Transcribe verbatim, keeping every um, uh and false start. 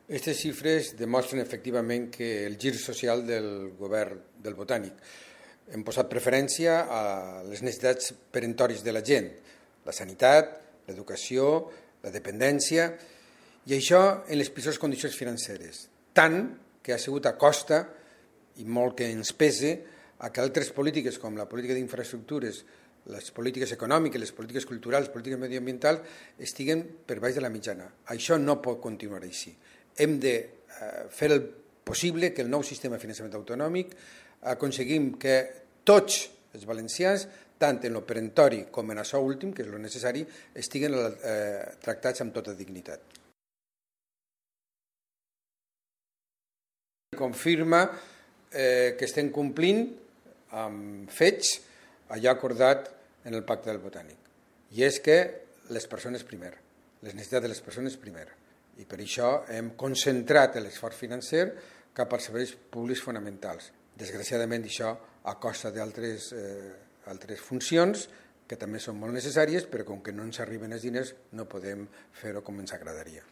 Aquestes xifres demostren efectivament que el gir social del govern del Botànic hem posat preferència a les necessitats peremptòries de la gent, la sanitat, l'educació, la dependència, i això en les pitjors condicions financeres, tant que ha sigut a costa, i molt que ens pese, a que altres polítiques com la política d'infraestructures, les polítiques econòmiques, les polítiques culturals, les polítiques mediambientals, estiguen per baix de la mitjana. Això no pot continuar així. Hem de fer el possible que el nou sistema de finançament autonòmic aconseguim que tots els valencians, tant en el peremptori com en això últim, que és el necessari, estiguen eh, tractats amb tota dignitat. Confirma eh, que estem complint amb fets allò acordat en el Pacte del Botànic. I és que les persones primer, les necessitats de les persones primer. I per això hem concentrat l'esforç financer cap als serveis públics fonamentals. Desgraciadament, això a costa d'altres eh, altres funcions que també són molt necessàries, però com que no ens arriben els diners no podem fer-ho com ens agradaria.